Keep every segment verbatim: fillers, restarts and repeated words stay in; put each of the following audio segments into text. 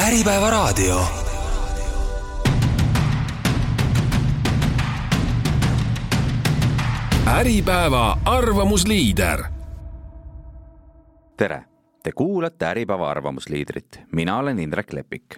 Äripäeva raadio. Äripäeva arvamusliider. Tere, te kuulate Äripäeva arvamusliidrit. Mina olen Indrek Lepik.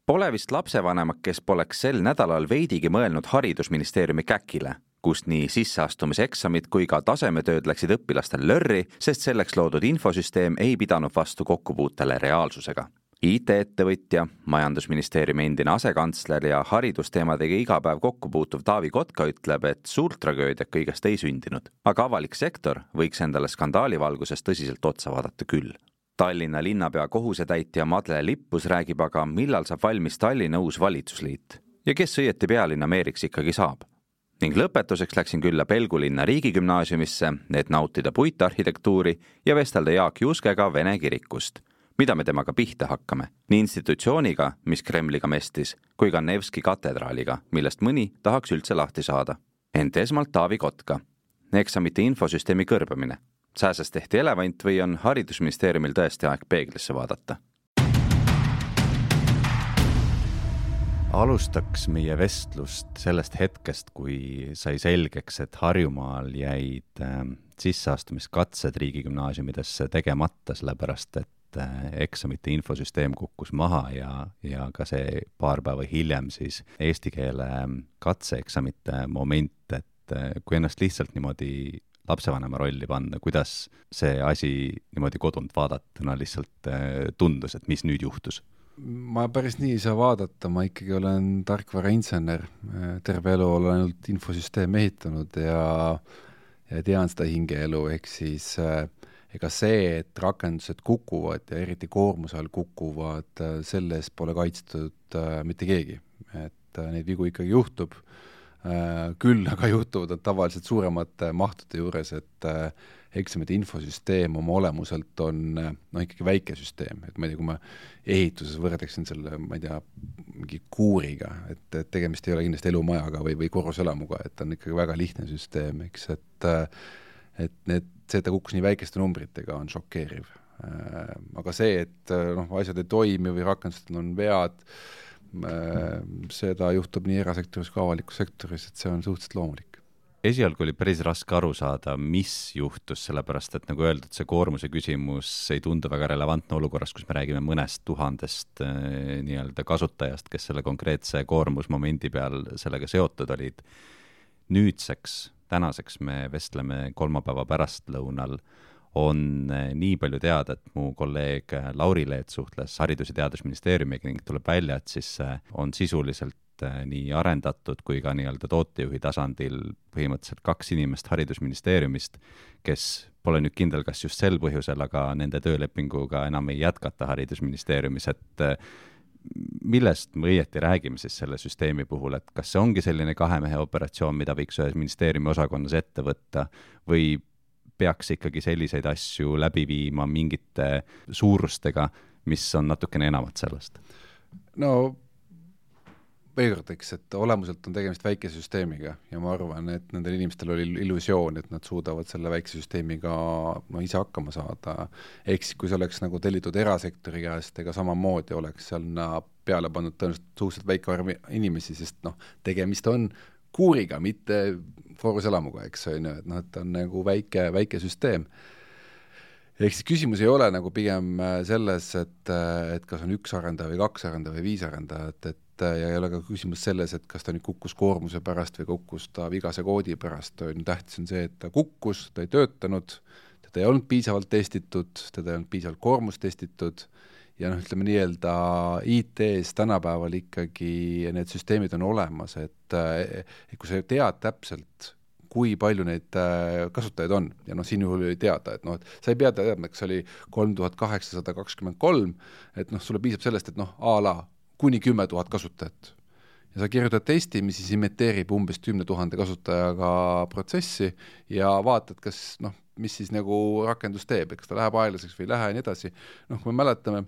Pole vist lapsevanemat, kes poleks sel nädalal veidigi mõelnud haridusministeeriumi käkile, kust nii sisseastumiseksamid kui ka tasemetööd läksid õpilastel lörri, sest selleks loodud infosüsteem ei pidanud vastu kokkupuutele reaalsusega. I T-ettevõtja, majandusministeeriumi endine asekantsler ja haridusteemadega iga päev kokkupuutuv Taavi Kotka ütleb, et suurt tragöödiat kõigest ei sündinud. Aga avalik sektor võiks endale skandaalivalguses tõsiselt otsa vaadata küll. Tallinna linnapea kohusetäitja Madle Lippus räägib aga, millal saab valmis Tallinna uus valitsusliit ja kes õieti pealinna meeriks ikkagi saab. Ning lõpetuseks läksin külla Pelgulinna riigigümnaasiumisse, et nautida puitarhitektuuri ja vestelda Jaak Juskega Vene kirikust. Mida me temaga pihta hakkame? Nii institutsiooniga, mis Kremliga mestis, kui ka Nevski katedraaliga, millest mõni tahaks üldse lahti saada. Ent esmalt Taavi Kotka. Eksamite infosüsteemi kõrbamine. Sääsest tehti elevant või on haridusministeeriumil tõesti aeg peeglisse vaadata? Alustaks meie vestlust sellest hetkest, kui sai selgeks, et Harjumaal jäid sisseastumiskatsed riigigümnaasiumidesse tegemata, sellepärast et eksamite infosüsteem kukkus maha ja, ja ka see paar päeva hiljem siis eesti keele katseeksamite moment, et kui ennast lihtsalt niimoodi lapsevanema rolli panna, kuidas see asi niimoodi kodunt vaadatuna lihtsalt tundus, et mis nüüd juhtus? Ma päris nii ei saa vaadata, ma ikkagi olen tarkvarainsener, terve elu olen ainult infosüsteem ehitanud ja, ja tean seda hingeelu, ehk siis ega see, et rakendused kukuvad ja eriti koormuse all kukuvad, selles pole kaitstud mitte keegi. Et neid vigu ikkagi juhtub, küll aga juhtuvad tavaliselt suuremate mahtude juures, et eksamite infosüsteem oma olemuselt on no, ikkagi väike süsteem. Et ma ei tea, kui ma ehituses võrdeksin selle, ma ei tea, mingi kuuriga, et, et tegemist ei ole kindlasti elumajaga või, või korruselamuga, et on ikkagi väga lihtne süsteem, eks, et et need, see, et ta kukkus nii väikeste numbritega, on šokeeriv. Aga see, et noh, asjad ei toimi või rakendused on vead, seda juhtub nii erasektoris kui avalikus sektoris, et see on suhteliselt loomulik. Esialgu oli päris raske aru saada, mis juhtus, sellepärast, et nagu öeldud, see koormuse küsimus ei tundu väga relevantne olukorras, kus me räägime mõnest tuhandest nii-öelda kasutajast, kes selle konkreetse koormusmomendi peal sellega seotud olid. Nüüdseks tänaseks me vestleme kolmapäeva pärastlõunal, on nii palju teada, et mu kolleeg Lauri Leet suhtles Haridus- ja Teadusministeeriumiga ning tuleb välja, et siis on sisuliselt nii arendatud kui ka nii-öelda tootejuhi tasandil põhimõtteliselt kaks inimest Haridusministeeriumist, kes pole nüüd kindel, kas just sel põhjusel, aga nende töölepinguga enam ei jätkata Haridusministeeriumis, et millest me õieti räägime siis selle süsteemi puhul, et kas see ongi selline kahemehe operatsioon, mida võiks ühes ministeeriumi osakonnas ette võtta või peaks ikkagi selliseid asju läbi viima mingite suurustega, mis on natukene enamat sellest? No veigardeks, et olemuselt on tegemist väike süsteemiga ja ma arvan, et nendel inimestel oli illusioon, et nad suudavad selle väikse süsteemiga no, ise hakkama saada. Eks kui see oleks nagu tellitud erasektori käest, ega samamoodi oleks seal peale pannud tõenäoliselt suhteliselt väike arv inimesi, sest noh, tegemist on kuuriga, mitte korruselamuga, eks on ju, et noh, et on nagu väike, väike süsteem. Ehk siis küsimus ei ole nagu pigem selles, et, et kas on üks arendaja või kaks arendaja või viis arendajat, et ja ei ole ka küsimus selles, et kas ta nüüd kukkus koormuse pärast või kukkus ta vigase koodi pärast. Tähtis on see, et ta kukkus, ta ei töötanud, teda ei olnud piisavalt testitud, teda ei olnud piisavalt koormust testitud ja noh, ütleme nii-öelda I T-s tänapäeval ikkagi need süsteemid on olemas, et, et kui sa tead täpselt, kui palju neid kasutajaid on ja noh, siin juhul ei teada, et noh, et sa ei pea teadma, kas oli kolm tuhat kaheksasada kakskümmend kolm, et noh, sulle piisab sellest, et noh, a la kuni kümme tuhat kasutajat. Ja sa kirjutad testi, mis siis imiteerib umbes kümne tuhande kasutajaga protsessi ja vaatad, kas, noh, mis siis nagu rakendus teeb, kas ta läheb aeglaseks või ei lähe ja nii edasi. Noh, kui me mäletame,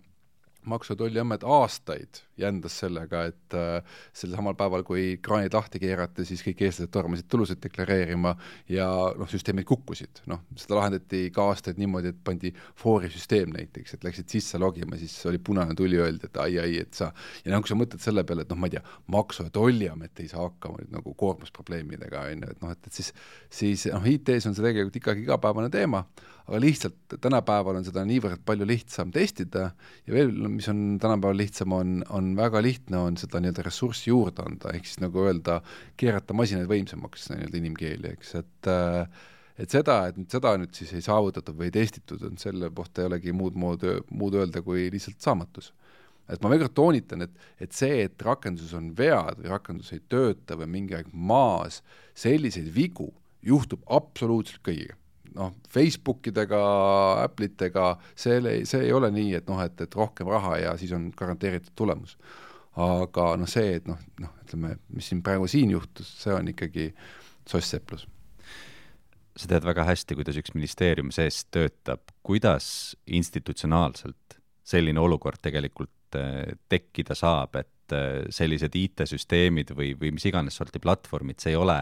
Maksu- ja Tolliamet aastaid jändas sellega, et äh, sel samal päeval, kui kraanid lahti keerati, siis kõik eestlased tormasid tulusid deklareerima ja noh, süsteemid kukkusid. Noh, seda lahendati ka aastaid niimoodi, et pandi foori süsteem näiteks, et läksid sisse logima, siis oli punane tuli öeldi, et ai, ai, et sa, ja noh, kui sa mõtled selle peale, et noh, ma ei tea, Maksu- ja Tolliamet ei saa hakkama nüüd nagu koormusprobleemidega, on ju, et noh, et, et siis, siis noh, I T-s on see tegelikult ikkagi igapäevane teema, aga lihtsalt tänapäeval on seda niivõrd palju lihtsam testida ja veel, mis on tänapäeval lihtsam, on, on väga lihtne, on seda nii-öelda ressurssi juurde anda, ehk siis nagu öelda, keerata masinaid võimsamaks nii-öelda inimkeeli, eks, et et seda, et nüüd seda nüüd siis ei saavutatud või ei testitud, on selle kohta ei olegi muud, muud, muud öelda kui lihtsalt saamatus. Et ma väga toonitan, et, et see, et rakendus on vead või rakendus ei tööta või mingi aeg maas, selliseid vigu juhtub absoluutselt kõigiga. Noh, Facebookidega, Apple'itega, see, see ei ole nii, et noh, et, et rohkem raha ja siis on garanteeritud tulemus. Aga noh, see, et noh, noh, ütleme, mis siin praegu siin juhtus, see on ikkagi soss-seplus. Sa tead väga hästi, kuidas üks ministeerium sees töötab, kuidas institutsionaalselt selline olukord tegelikult tekkida saab, et sellised I T-süsteemid või, või mis iganes sorti platvormid, see ei ole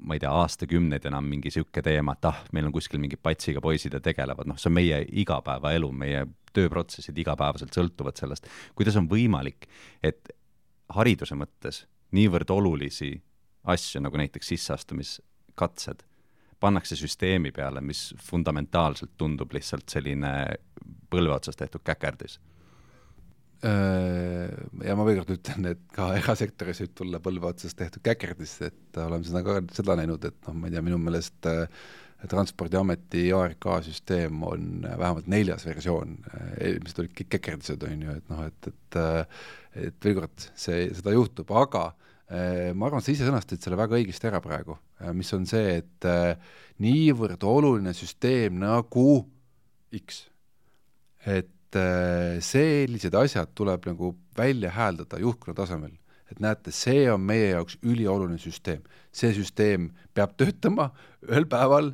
ma ei tea, aastakümneid enam mingi siuke teema, et ah, meil on kuskil mingi patsiga poisid ja tegelevad, noh, see on meie igapäevaelu, meie tööprotsessid igapäevaselt sõltuvad sellest. Kuidas on võimalik, et hariduse mõttes niivõrd olulisi asju, nagu näiteks sisseastumiskatsed, pannakse süsteemi peale, mis fundamentaalselt tundub lihtsalt selline põlve otsas tehtud käkerdis? Ja ma veel kord ütlen, et ka erasektoris võib tulla põlve otsas tehtud käkerdis, et oleme seda ka seda näinud, et noh, ma ei tea, minu meelest Transpordiameti A R K-süsteem on vähemalt neljas versioon, eelmised olid kõik käkerdised, on ju, et noh, et, et, et veel kord see, seda juhtub, aga ma arvan, et sa ise sõnastasid selle väga õigesti ära praegu, mis on see, et niivõrd oluline süsteem nagu X, et sellised asjad tuleb nagu välja hääldada juhtkonna tasemel, et näete, see on meie jaoks ülioluline süsteem. See süsteem peab töötama ühel päeval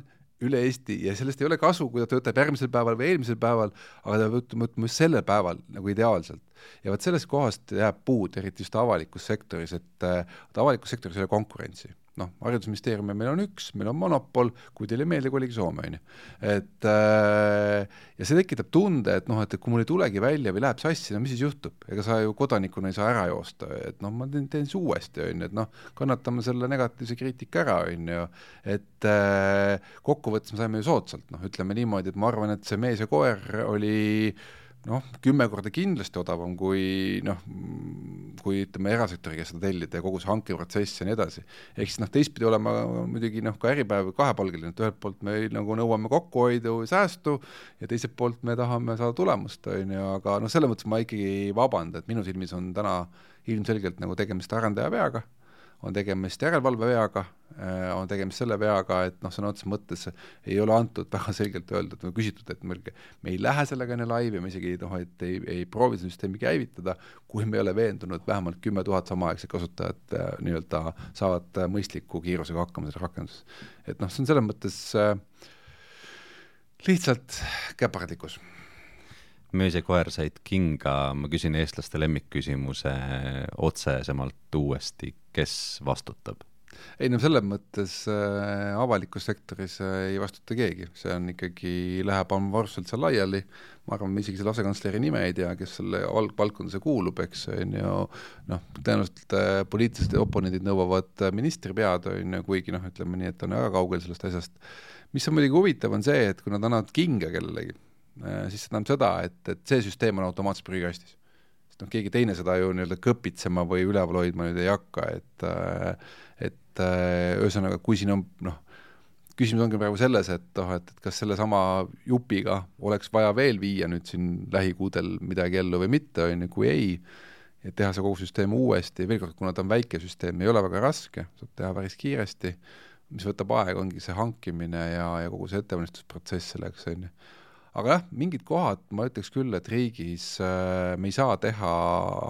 üle Eesti ja sellest ei ole kasu, kui ta töötab järgmisel päeval või eelmisel päeval, aga ta peab mõtlema just sellel päeval nagu ideaalselt. Ja võt sellest kohast jääb puud, eriti just avalikus sektoris, et avalikus sektoris ei ole konkurentsi. Noh, haridusministeerium meil on üks, meil on monopol, kui teile meelde, kui oligi Soome, on ju. Et, ja see tekitab tunde, et noh, et kui mul ei tulegi välja või läheb sassi, no mis siis juhtub? Ega sa ju kodanikuna ei saa ära joosta, et noh, ma teen, teen see uuesti, on ju, et noh, kannatame selle negatiivse kriitika ära, on ju, et kokkuvõttes me saime ju soodsalt, noh, ütleme niimoodi, et ma arvan, et see mees ja koer oli noh, kümme korda kindlasti odavam kui noh, kui ütleme erasektoriga seda tellida ja kogu see hankeprotsess ja nii edasi. Ehk siis noh, teistpidi olema muidugi noh, ka äripäev kahepalgeline, et ühelt poolt me nagu nõuame kokkuhoidu ja säästu ja teiselt poolt me tahame saada tulemust, on ju, aga noh, selle mõttes ma ikkagi vabanda, et minu silmis on täna ilmselgelt nagu tegemist arendaja veaga, on tegemist järelevalve veaga, on tegemist selle veaga, et noh, sõna otseses mõttes ei ole antud väga selgelt öeldud või küsitud, et me, me ei lähe sellega enne laivi, me isegi noh, et ei, ei proovi süsteemi käivitada, kui me ei ole veendunud vähemalt kümme tuhat samaaegse kasutajat nii-öelda saavad mõistliku kiirusega hakkama selle rakenduses. Et noh, see on selles mõttes äh, lihtsalt käpardlikkus. Möös ja koer said kinga, ma küsin eestlaste lemmikküsimuse otsesemalt uuesti, kes vastutab? Ei, no selles mõttes äh, avalikus sektoris äh, ei vastuta keegi, see on ikkagi, läheb amorfselt seal laiali, ma arvan, me isegi selle asekantsleri nime ei tea, kes selle valdkondase kuulub, eks on ju, noh, tõenäoliselt äh, poliitilised oponendid nõuavad ministri pead, on ju, kuigi noh, ütleme nii, et on väga kaugel sellest asjast. Mis on muidugi huvitav on see, et kui nad annavad kinga kellelegi, siis see tähendab seda, et, et see süsteem on automaatselt prügikastis. Sest noh, keegi teine seda ju nii-öelda kõpitsema või üleval hoidma nüüd ei hakka, et, et öösõnaga, kui siin on, noh, küsimus ongi praegu selles, et, oh, et, et kas selle sama jupiga oleks vaja veel viia nüüd siin lähikuudel midagi ellu või mitte, on ju, kui ei, et teha see kogu süsteem uuesti, veel kord, kuna ta on väike süsteem, ei ole väga raske, saab teha päris kiiresti, mis võtab aega, ongi see hankimine ja, ja kogu see ettevalmistusprotsess selleks, on ju. Aga jah, mingid kohad, ma ütleks küll, et riigis äh, me ei saa teha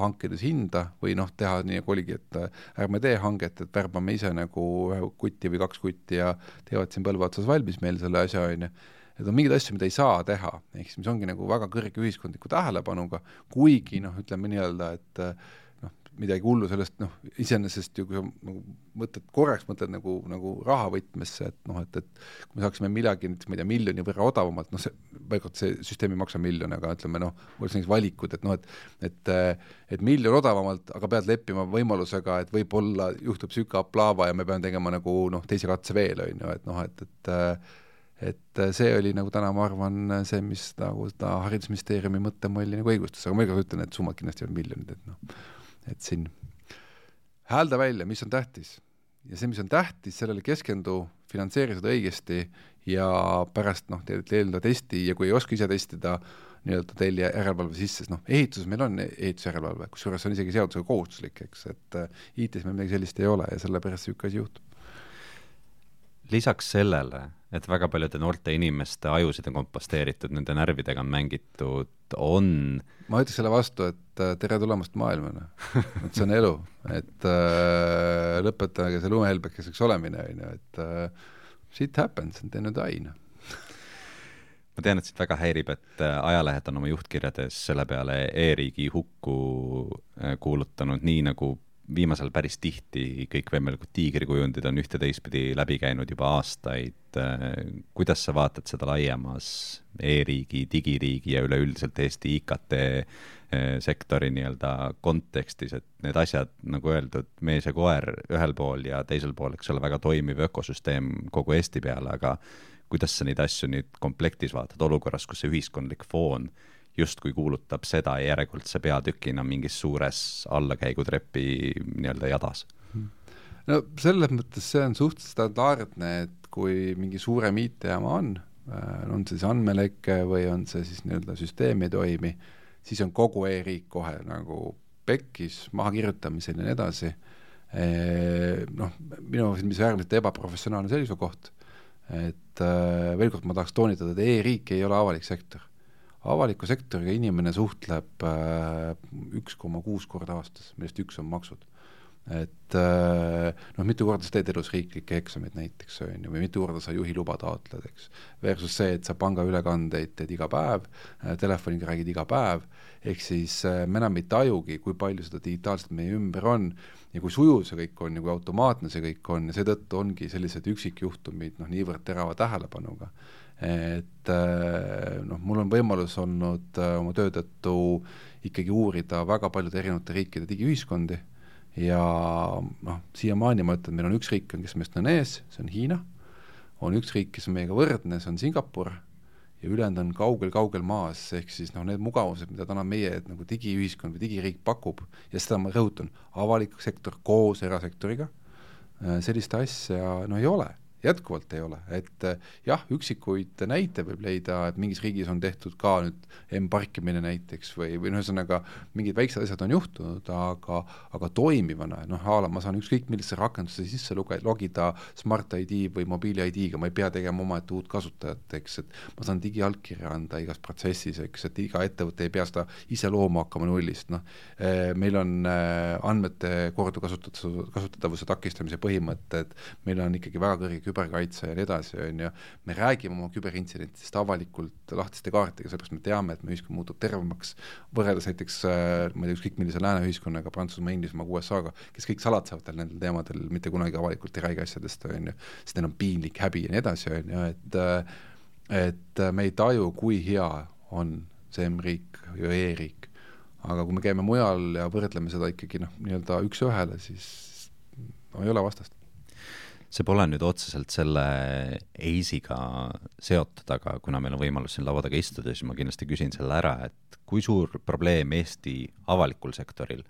hankides hinda või noh, teha nii nagu oligi, et äh, ärme tee hanget, et värbame ise nagu ühe kutti või kaks kutti ja teevad siin põlve otsas valmis meil selle asja, on ju. et on mingeid asju, mida ei saa teha, ehk siis mis ongi nagu väga kõrge ühiskondliku tähelepanuga, kuigi noh, ütleme nii-öelda, et noh, midagi hullu sellest, noh, iseenesest ju kui sa nagu mõtled, korraks mõtled nagu, nagu rahavõtmesse, et noh, et, et kui me saaksime midagi, näiteks ma ei tea, miljoni võrra odavamalt, noh, see, vaikalt see süsteem ei maksa miljon, aga ütleme, noh, oleks näiteks valikud, et noh, et, et, et miljon odavamalt, aga pead leppima võimalusega, et võib-olla juhtub süka aplaava ja me peame tegema nagu, noh, teise katse veel, on ju, et noh, et, et et see oli nagu täna, ma arvan, see, mis nagu ta haridusministeeriumi mõttemõlli nagu õigustas, aga ma iga ütlen, et summad kindlasti on miljonid, et noh, et siin häälda välja, mis on tähtis. Ja see, mis on tähtis, sellele keskendu, finantseeri seda õigesti ja pärast noh, teelda testi ja kui ei oska ise testida, nii-öelda telli järelevalve sisse, noh, ehituses meil on ehitusjärelevalve, kusjuures on isegi seadusega kohustuslik, eks, et I T-s meil midagi sellist ei ole ja selle pärast see üks asi juhtub. Lisaks sellele, et väga paljude noorte inimeste ajusid on komposteeritud, nende närvidega on mängitud, on... Ma ütleks selle vastu, et tere tulemast maailmana. Et see on elu. Et äh, lõpetage see lumehelbekeseks olemine, et äh, shit happens, on teinud aina. Ma tean, et siit väga häirib, et ajalehed on oma juhtkirjades selle peale e-riigi hukku kuulutanud nii nagu viimasel päris tihti kõik võimalikud tiigrikujundid on ühte teistpidi läbi käinud juba aastaid. Kuidas sa vaatad seda laiemas e-riigi, digiriigi ja üleüldiselt Eesti I K T sektori nii-öelda kontekstis, et need asjad, nagu öeldud, mees ja koer ühel pool ja teisel pool, eks ole, väga toimiv ökosüsteem kogu Eesti peale, aga kuidas sa neid asju nüüd komplektis vaatad olukorras, kus see ühiskondlik foon justkui kuulutab seda järjekordse peatükina mingis suures allakäigutrepi nii-öelda jadas? No selles mõttes see on suht standardne, et kui mingi suurem I T-jaama on, on see siis andmeleke või on see siis nii-öelda süsteemi toimi, siis on kogu e-riik kohe nagu pekkis, maha kirjutamisel ja nii edasi. Noh, minu mis äärmiselt ebaprofessionaalne seisukoht, et veel kord ma tahaks toonitada, et e-riik ei ole avalik sektor. Avaliku sektoriga inimene suhtleb üks koma kuus korda aastas, millest üks on maksud. Et noh, mitu korda sa teed elus riiklikke eksamid näiteks, või mitu korda sa juhi luba taotled, eks. Versus see, et sa panga ülekandeid teed iga päev, telefoniga räägid iga päev, ehk siis me enam ei tajugi, kui palju seda digitaalselt meie ümber on ja kui sujuv see kõik on ja kui automaatne see kõik on ja seetõttu ongi sellised üksikjuhtumid noh, niivõrd terava tähelepanuga. Et noh, mul on võimalus olnud oma töötõttu ikkagi uurida väga paljude erinevate riikide digiühiskondi ja noh, siiamaani ma ütlen, meil on üks riik, kes meist on ees, see on Hiina, on üks riik, kes on meiega võrdne, see on Singapur ja ülejäänud on kaugel-kaugel maas, ehk siis noh, need mugavused, mida täna meie nagu digiühiskond või digiriik pakub ja seda ma rõhutan, avalik sektor koos erasektoriga, sellist asja no ei ole. Jätkuvalt ei ole, et jah, üksikuid näite võib leida, et mingis riigis on tehtud ka nüüd M-parkimine näiteks või, või ühesõnaga mingid väiksed asjad on juhtunud, aga, aga toimivana, noh, haala, ma saan ükskõik millise rakendusse sisse luge, logida Smart I D või mobiili I D-ga, ma ei pea tegema oma et uut kasutajat, eks, et ma saan digialkirja anda igas protsessis, eks, et iga ettevõte ei pea seda ise looma hakkama nullist, noh, meil on andmete kordu kasutatavuse takistamise põhimõtted, meil on ikkagi väga kõrge küberkaitse ja nii edasi, on ju, me räägime oma küberintsidentidest avalikult lahtiste kaartiga, sellepärast me teame, et me ühiskond muutub tervemaks võrreldes näiteks, ma ei tea, ükskõik millise lääne ühiskonnaga, Prantsusmaa, Inglismaa, U S A-ga, kes kõik salatsevad nendel teemadel, mitte kunagi avalikult ei räägi asjadest, on ju, sest neil on piinlik häbi ja nii edasi, on ju, et, et me ei taju, kui hea on see M-riik ja e-riik. Aga kui me käime mujal ja võrdleme seda ikkagi noh, nii-öelda üks ühele, siis no, ei ole vastast. See pole nüüd otseselt selle eisiga seotud, aga kuna meil on võimalus siin lauadaga istuda, siis ma kindlasti küsin selle ära, et kui suur probleem Eesti avalikul sektoril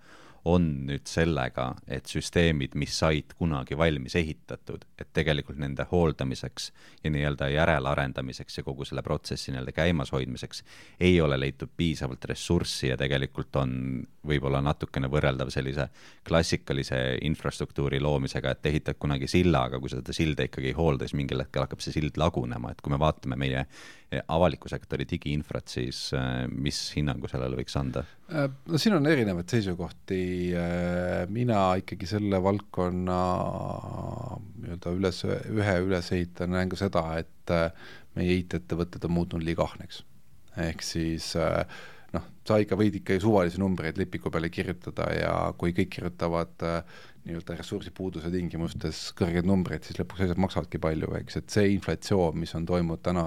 on nüüd sellega, et süsteemid, mis said kunagi valmis ehitatud, et tegelikult nende hooldamiseks ja nii-öelda järelarendamiseks ja kogu selle protsessi nii-öelda käimas hoidmiseks ei ole leitud piisavalt ressurssi ja tegelikult on võib-olla natukene võrreldav sellise klassikalise infrastruktuuri loomisega, et ehitad kunagi silla, aga kui seda silda ikkagi ei hoolda, siis mingil hetkel hakkab see sild lagunema, et kui me vaatame meie avaliku sektori digiinfrat, siis mis hinnangu sellele võiks anda? No siin on erinevad seisukohti, mina ikkagi selle valdkonna nii-öelda üles, ühe üles ehitan näen ka seda, et meie I T-ettevõtted on muutunud liiga ahneks. Ehk siis noh, sa ikka võid ikka suvalisi numbreid lipiku peale kirjutada ja kui kõik kirjutavad nii-öelda ressursipuuduse tingimustes kõrgeid numbreid, siis lõpuks asjad maksavadki palju, eks, et see inflatsioon, mis on toimunud täna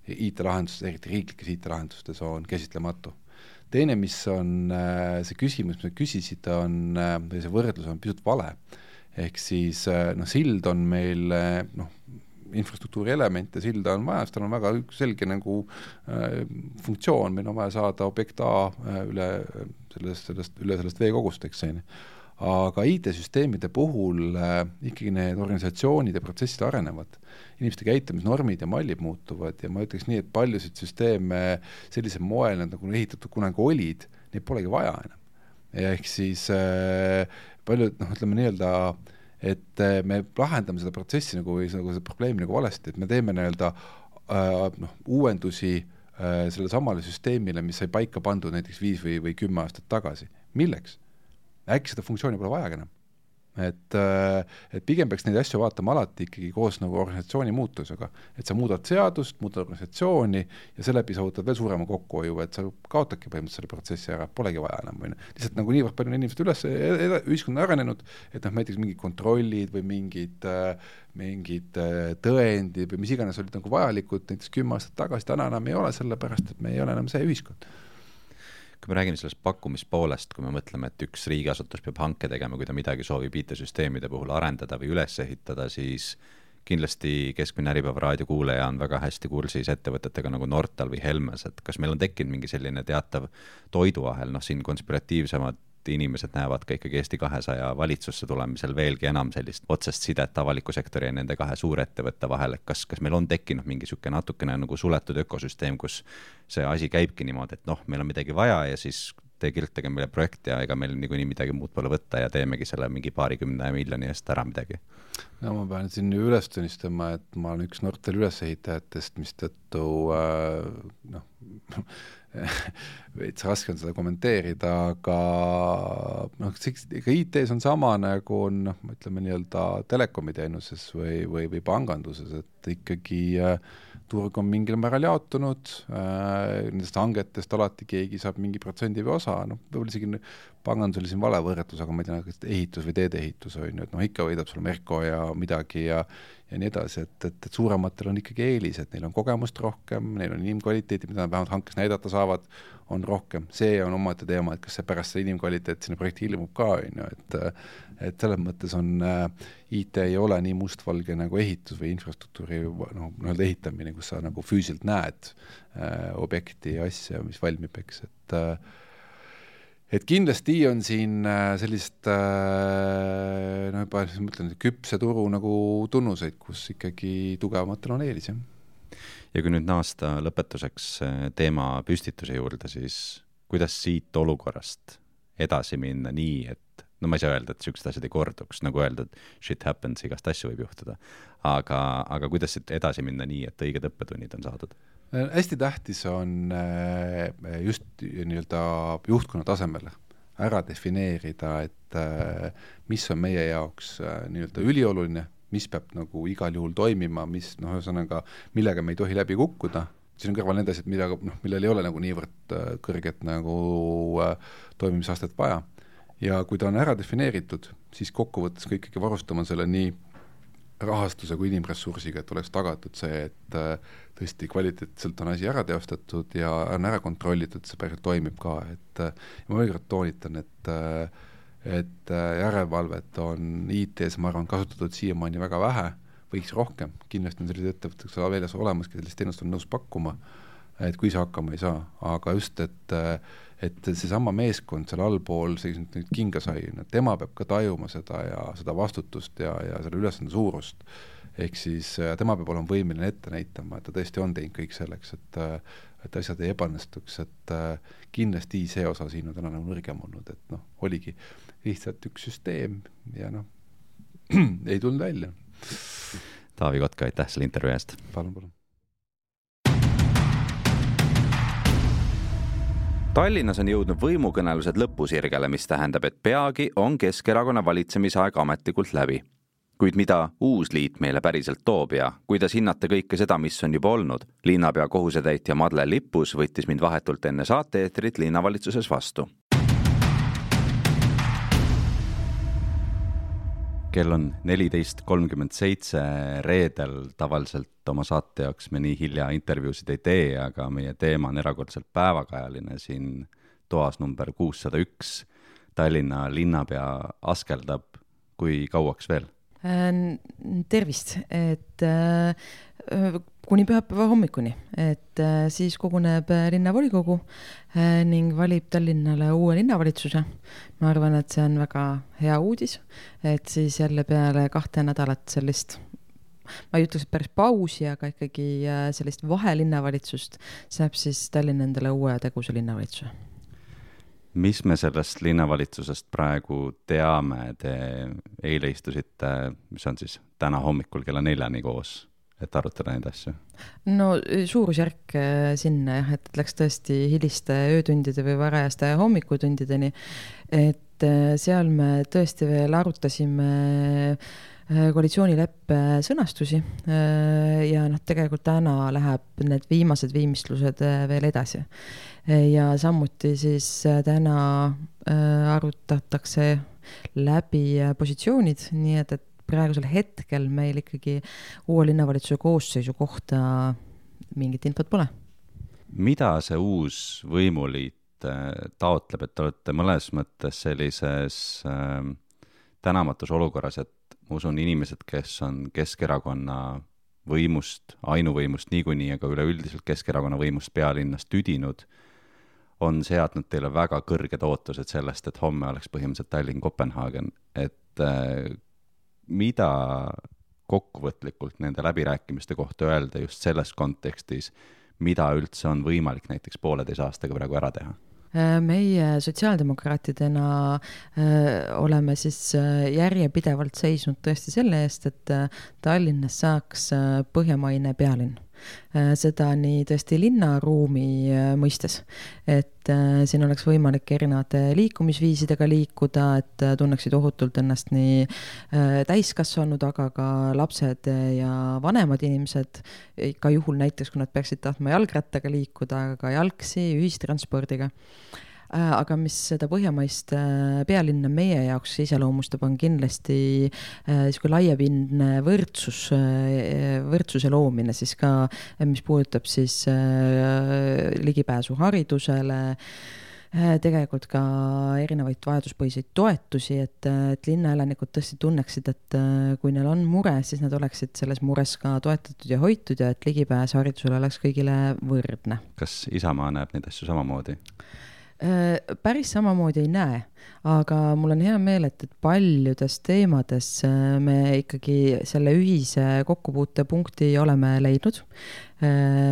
I T-lahendustes, eriti riiklikes I T-lahendustes, on käsitlematu. Teine, mis on see küsimus, mis me küsisid, on, see võrdlus on pisut vale. Ehk siis no, sild on meil noh, infrastruktuuri element ja silda on vaja, sest tal on väga selge nagu äh, funktsioon, meil on vaja saada objekt A üle sellest, sellest, üle sellest veekogust, eks see. Aga I T-süsteemide puhul äh, ikkagi need organisatsioonid ja protsessid arenevad. Inimeste käitumisnormid ja mallid muutuvad ja ma ütleks nii, et paljusid süsteeme sellisel moel, nad nagu ehitatud kunagi olid, neid polegi vaja enam. Ja ehk siis äh, paljud, noh, ütleme nii-öelda et me lahendame seda protsessi nagu, nagu seda probleemi nagu valesti, et me teeme nii-öelda äh, noh, uuendusi äh, selle samale süsteemile, mis sai paika pandud näiteks viis või, või kümme aastat tagasi. Milleks? Äkki seda funktsiooni pole vaja enam. Et, äh, et pigem peaks neid asju vaatama alati ikkagi koos nagu organisatsiooni muutusega. Et sa muudad seadust, muudad organisatsiooni ja seeläbi saavutad veel suurema kokkuhoiu, et sa kaotadki põhimõtteliselt selle protsessi ära, polegi vaja enam. Või lihtsalt nagu niivõrd palju inimesed üles, ühiskond on arenenud, et noh, näiteks mingid kontrollid või mingid, mingid tõendid või mis iganes olid nagu vajalikud, näiteks kümme aastat tagasi, täna enam ei ole, sellepärast, et me ei ole enam see ühiskond. Kui me räägime sellest pakkumispoolest, kui me mõtleme, et üks riigiasutus peab hanke tegema, kui ta midagi soovib I T-süsteemide puhul arendada või üles ehitada, siis kindlasti keskmine Äripäeva raadio kuulaja on väga hästi kursis ettevõtetega nagu Nortal või Helmes, et kas meil on tekkinud mingi selline teatav toiduahel, noh siin konspiratiivsemad inimesed näevad ka ikkagi Eesti kahesaja valitsusse tulemisel veelgi enam sellist otsest sidet avaliku sektori ja nende kahe suurettevõtte vahel, et kas, kas meil on tekkinud mingi süke natukene nagu suletud ökosüsteem, kus see asi käibki niimoodi, et noh, meil on midagi vaja ja siis te kirjutage meile projekt ja ega meil niikuinii midagi muud pole võtta ja teemegi selle mingi paarikümne miljoni eest ära midagi. No ma pean siin üles tunnistama, et ma olen üks Nortal ülesehitajatest, mis tõttu äh, noh, veits raske on seda kommenteerida, aga noh, ega I T-s on sama nagu on, noh, ütleme nii-öelda telekomiteenuses või, või, või panganduses, et ikkagi äh, turg on mingil määral jaotunud, äh, nendest hangetest alati keegi saab mingi protsendi või osa, noh, võib-olla isegi pangandus oli siin vale võrretus, aga ma ei tea, ehitus või teedeehitus on ju, et noh, ikka võidab sul Merko ja midagi ja, ja nii edasi, et, et, et suurematel on ikkagi eelis, et neil on kogemust rohkem, neil on inimkvaliteeti, mida nad vähemalt hankes näidata saavad, on rohkem. See on omate teema, et kas see pärast see inimkvaliteet sinna projekti ilmub ka, on ju, et, et selles mõttes on äh, I T ei ole nii mustvalge nagu ehitus või infrastruktuuri no, nii-öelda ehitamine, kus sa nagu füüsiliselt näed äh, objekti ja asja, mis valmib, eks, et äh, et kindlasti on siin sellist no juba mõtlen, küpse turu nagu tunnuseid, kus ikkagi tugevamatel on eelis. Ja kui nüüd naasta lõpetuseks teema püstituse juurde, siis kuidas siit olukorrast edasi minna nii, et no ma ei saa öelda, et sükst asjad ei korduks, nagu öeldud, shit happens, igast asju võib juhtuda, aga, aga kuidas siit edasi minna nii, et õiged õppetunnid on saadud? Hästi tähtis on just nii-öelda juhtkonna tasemel ära defineerida, et mis on meie jaoks nii-öelda ülioluline, mis peab nagu igal juhul toimima, mis noh, ühesõnaga, millega me ei tohi läbi kukkuda. Siin on kõrval nende asjad, millega, noh, millel ei ole nagu niivõrd kõrget nagu toimimisastet vaja. Ja kui ta on ära defineeritud, siis kokkuvõttes ka ikkagi varustama selle nii rahastuse kui inimressursiga, et oleks tagatud see, et tõesti kvaliteetselt on asi ära teostatud ja on ära kontrollitud, see päriselt toimib ka, et ma veel kord toonitan, et et järelevalvet on I T-s, ma arvan, kasutatud siiamaani väga vähe, võiks rohkem, kindlasti on sellised ettevõtteks väljas olemaski, sellist teenust on nõus pakkuma, et kui see hakkama ei saa, aga just, et et see sama meeskond seal allpool see nüüd kinga sai, tema peab ka tajuma seda ja seda vastutust ja, ja selle ülesande suurust. Ehk siis tema peab olema võimeline ette näitama, et ta tõesti on teinud kõik selleks, et, et asjad ei ebanestuks, et kindlasti see osa siin on täna nagu nõrgem olnud, et noh, oligi lihtsalt üks süsteem ja noh, ei tulnud välja. Taavi Kotka, aitäh selle intervjuu eest. Palun, palun. Tallinnas on jõudnud võimukõnelused lõpusirgele, mis tähendab, et peagi on Keskerakonna valitsemisaeg ametlikult läbi. Kuid mida uus liit meile päriselt toob ja kuidas hinnata kõike seda, mis on juba olnud? Linnapea kohusetäitja Madle Lippus võttis mind vahetult enne saate-eetrit linnavalitsuses vastu. Kell on neliteist kolmkümmend seitse reedel, tavaliselt oma saate jaoks me nii hilja intervjuusid ei tee, aga meie teema on erakordselt päevakajaline siin toas number kuussada üks. Tallinna linnapea askeldab, kui kauaks veel? Tervist, et kuni pühapäeva hommikuni, et siis koguneb linnavolikogu ning valib Tallinnale uue linnavalitsuse. Ma arvan, et see on väga hea uudis, et siis jälle peale kahte nädalat sellist, ma ei ütleks, et päris pausi, aga ikkagi sellist vahelinnavalitsust saab siis Tallinn endale uue teguse linnavalitsuse. Mis me sellest linnavalitsusest praegu teame? Te eile istusite, mis on siis täna hommikul kella neljani koos, et arutada neid asju? No suurusjärk sinna, jah, et läks tõesti hiliste öötundide või varajaste hommikutundideni, et seal me tõesti veel arutasime koalitsioonileppe sõnastusi ja noh, tegelikult täna läheb need viimased viimistlused veel edasi. Ja samuti siis täna arutatakse läbi positsioonid, nii et, et praegusel hetkel meil ikkagi uue linnavalitsuse koosseisu kohta mingit infot pole. Mida see uus võimuliit taotleb, et te olete mõnes mõttes sellises äh, tänamatus olukorras, et ma usun inimesed, kes on Keskerakonna võimust, ainuvõimust niikuinii, aga üleüldiselt Keskerakonna võimust pealinnas tüdinud, on seadnud teile väga kõrged ootused sellest, et homme oleks põhimõtteliselt Tallinn-Kopenhaagen. Et äh, mida kokkuvõtlikult nende läbirääkimiste kohta öelda just selles kontekstis, mida üldse on võimalik näiteks pooleteise aastaga praegu ära teha? Meie sotsiaaldemokraatidena äh, oleme siis järjepidevalt seisnud tõesti selle eest, et Tallinnas saaks põhjamaine pealinn. Seda nii tõesti linnaruumi mõistes, et siin oleks võimalik erinevate liikumisviisidega liikuda, et tunneksid ohutult ennast nii täiskasvanud, aga ka lapsed ja vanemad inimesed, ka juhul näiteks, kui nad peaksid tahtma jalgrattaga liikuda, aga ka jalgsi, ühistranspordiga. Aga mis seda põhjamaist pealinna meie jaoks iseloomustab, on kindlasti äh, laiapindne võrdsus, võrdsuse loomine siis ka, mis puudutab siis äh, ligipääsu haridusele, äh, tegelikult ka erinevaid vajaduspõhiseid toetusi, et, et linnaelanikud tõesti tunneksid, et äh, kui neil on mure, siis nad oleksid selles mures ka toetatud ja hoitud ja et ligipääs haridusele oleks kõigile võrdne. Kas Isamaa näeb neid asju samamoodi? Päris samamoodi ei näe, aga mul on hea meel, et, et paljudes teemades me ikkagi selle ühise kokkupuute punkti oleme leidnud,